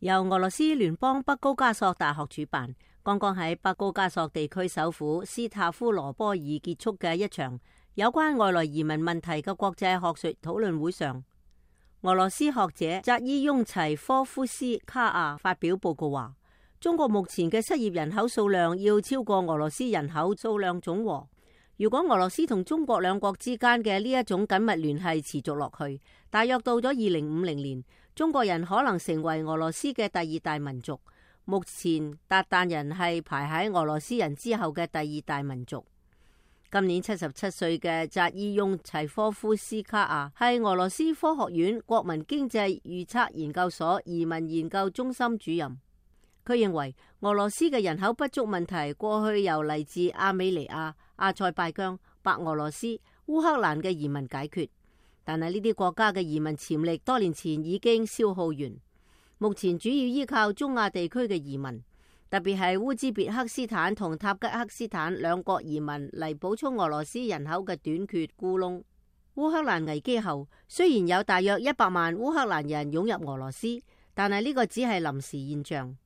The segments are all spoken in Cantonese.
由俄羅斯聯邦北高加索大學主辦，剛剛喺北高加索地區首府斯塔夫羅波爾結束嘅一場有關外來移民問題嘅國際學術討論會上，俄羅斯學者扎伊翁齊科夫斯卡亞發表報告話，中國目前嘅失業人口數量要超過俄羅斯人口數量總和。如果俄羅斯同中國兩國之間嘅呢一種緊密聯繫持續落去，大約到咗2050年，中國人可能成為俄羅斯嘅第二大民族。目前韃靼人係排喺俄羅斯人之後嘅第二大民族。今年77歲嘅扎伊翁齊科夫斯卡亞係俄羅斯科學院國民經濟預測研究所移民研究中心主任。佢認為俄羅斯嘅人口不足問題過去由嚟自亞美尼亞、阿塞拜疆、白俄羅斯、烏克蘭嘅移民解決，但係呢啲國家嘅移民潛力多年前已經消耗完，目前主要依靠中亞地區嘅移民，特別係烏茲別克斯坦同塔吉克斯坦兩國移民嚟補充俄羅斯人口嘅短缺窟窿。烏克蘭危機後，雖然有大約100萬烏克蘭人湧入俄羅斯，但係呢個只係臨時現象。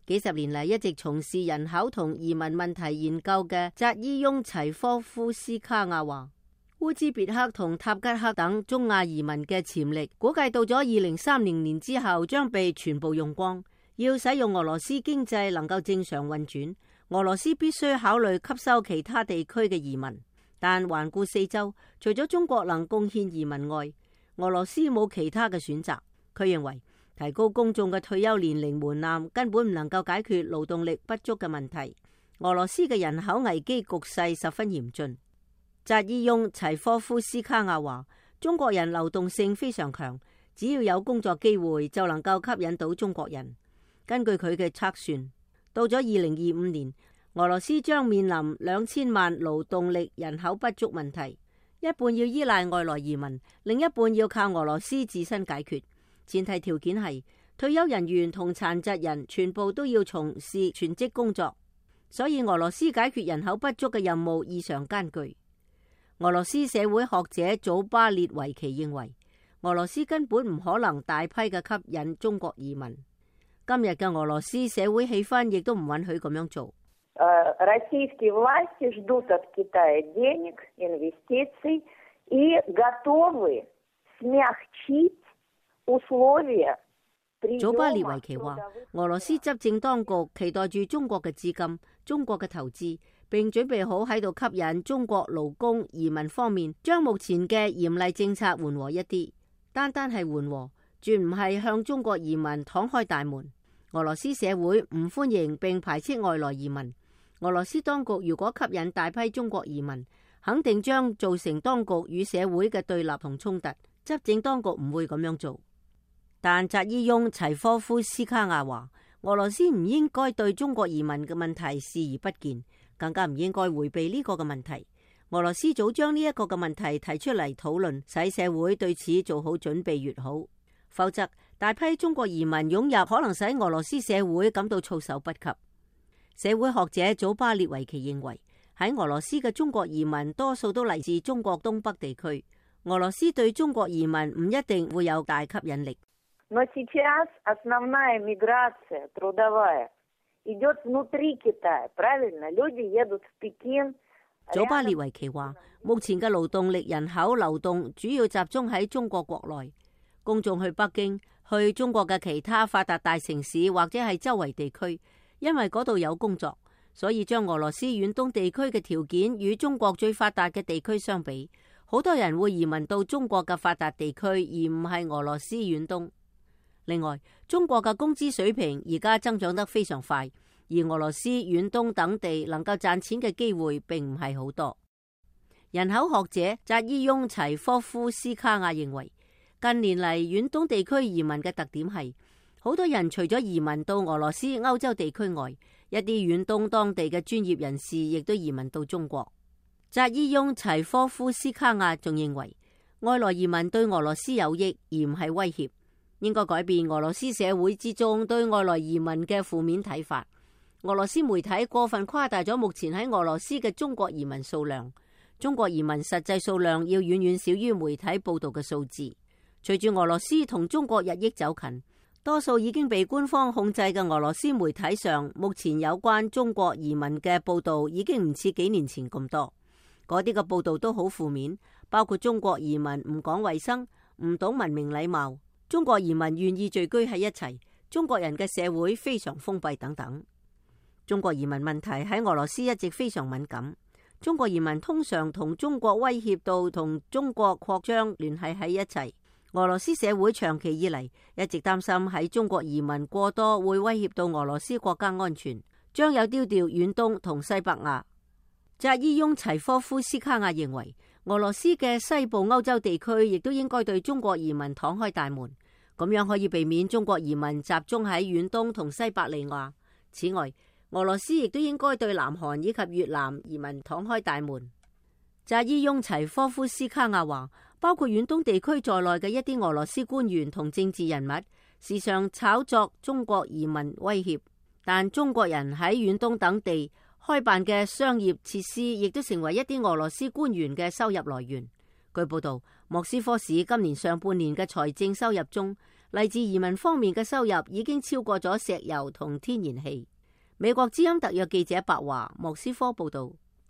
幾十年嚟一直從事人口同移民問題研究嘅扎伊翁齊科夫斯卡亞話，烏茲別克同塔吉克等中亞移民嘅潛力估計到咗2030年之後將被全部用光。要使用俄羅斯經濟能夠正常運轉，俄羅斯必須考慮吸收其他地區嘅移民。但環顧四周，除咗中國能貢獻移民外，俄羅斯冇其他嘅選擇。佢認為提高公眾嘅退休年齡門檻根本唔能夠解決勞動力不足嘅問題。俄羅斯嘅人口危機局勢十分嚴峻。扎伊翁齊科夫斯卡亞話，中國人流動性非常強，只要有工作機會就能夠吸引到中國人。根據佢嘅測算，到咗2025年，俄羅斯將面臨2000萬勞動力人口不足問題，一半要依賴外來移民，另一半要靠俄羅斯自身解決。前提條件係退休人員同殘疾人全部都要從事全職工作，所以俄羅斯解決人口不足嘅任務異常艱巨。俄羅斯社會學者祖巴列維奇認為，俄羅斯根本唔可能大批嘅吸引中國移民。今日嘅俄羅斯社會氣氛亦都唔允許咁樣做。Российские власти ждут от Китая денег, инвестиций и готовы смягчить условия。祖巴列維奇話，俄羅斯執政當局期待住中國嘅資金、中國嘅投資，並準備好喺度吸引中國勞工移民方面，將目前嘅嚴厲政策緩和一啲。單係緩和，絕唔係向中國移民敞開大門。俄羅斯社會唔歡迎並排斥外來移民。俄羅斯當局如果吸引大批中國移民，肯定將造成當局與社會嘅對立同衝突。執政當局唔會咁樣做。但扎伊翁齊科夫斯卡亞話，俄羅斯唔應該對中國移民嘅問題視而不見，更加唔應該迴避呢個嘅問題。俄羅斯早將呢一個嘅問題提出嚟討論，使社會對此做好準備越好。否則，大批中國移民湧入，可能使俄羅斯社會感到措手不及。社會學者祖巴列維奇認為，喺俄羅斯嘅中國移民多數都嚟自中國東北地區，俄羅斯對中國移民唔一定會有大吸引力。Но сейчас основная миграция трудовая идет внутри Китая, правильно? Люди едут в Пекин。祖巴列維奇話，目前嘅勞動力人口流動主要集中喺中國國內。公眾去北京、去中國嘅其他發達大城市或者係周圍地區，因為嗰度有工作，所以將俄羅斯遠東地區嘅條件與中國最發達嘅地區相比，好多人會移民到中國嘅發達地區，而唔係俄羅斯遠東。另外，中國嘅工資水平而家增長得非常快，而俄羅斯遠東等地能夠賺錢嘅機會並唔係好多。人口學者扎伊翁齊科夫斯卡亞認為，近年嚟遠東地區移民嘅特點係，好多人除咗移民到俄羅斯、歐洲地區外，一啲遠東當地嘅專業人士亦都移民到中國。扎伊翁齊科夫斯卡亞仲認為，外來移民對俄羅斯有益而唔係威脅，應該改變俄羅斯社會之中對外來移民嘅負面睇法。俄羅斯媒體過分誇大咗目前喺俄羅斯嘅中國移民數量，中國移民實際數量要遠遠少於媒體報道嘅數字。隨住俄羅斯同中國日益走近，多數已經被官方控制嘅俄羅斯媒體上，目前有關中國移民嘅報道已經唔似幾年前咁多。嗰啲嘅報道都好負面，包括中國移民唔講衛生、唔懂文明禮貌，中國移民願意聚居喺一齊，中國人嘅社會非常封閉等等。中國移民問題喺俄羅斯一直非常敏感。中國移民通常同中國威脅到同中國擴張聯繫喺一齊。俄羅斯社會長期以嚟一直擔心喺中國移民過多會威脅到俄羅斯國家安全，將有丟掉遠東同西伯亞。扎伊翁齊科夫斯卡亞認為，俄羅斯嘅西部歐洲地區亦都應該對中國移民敞開大門，咁樣可以避免中國移民集中喺遠東同西伯利亞。此外，俄羅斯亦都應該對南韓以及越南移民敞開大門。扎伊翁齊科夫斯卡亞話，包括遠東地區在內嘅一啲俄羅斯官員同政治人物，時常炒作中國移民威脅，但中國人喺遠東等地開辦嘅商業設施，亦都成為一啲俄羅斯官員嘅收入來源。據報道，莫斯科市今年上半年嘅財政收入中，嚟自移民方面嘅收入已經超過咗石油同天然氣。美國之音特約記者白華莫斯科報道。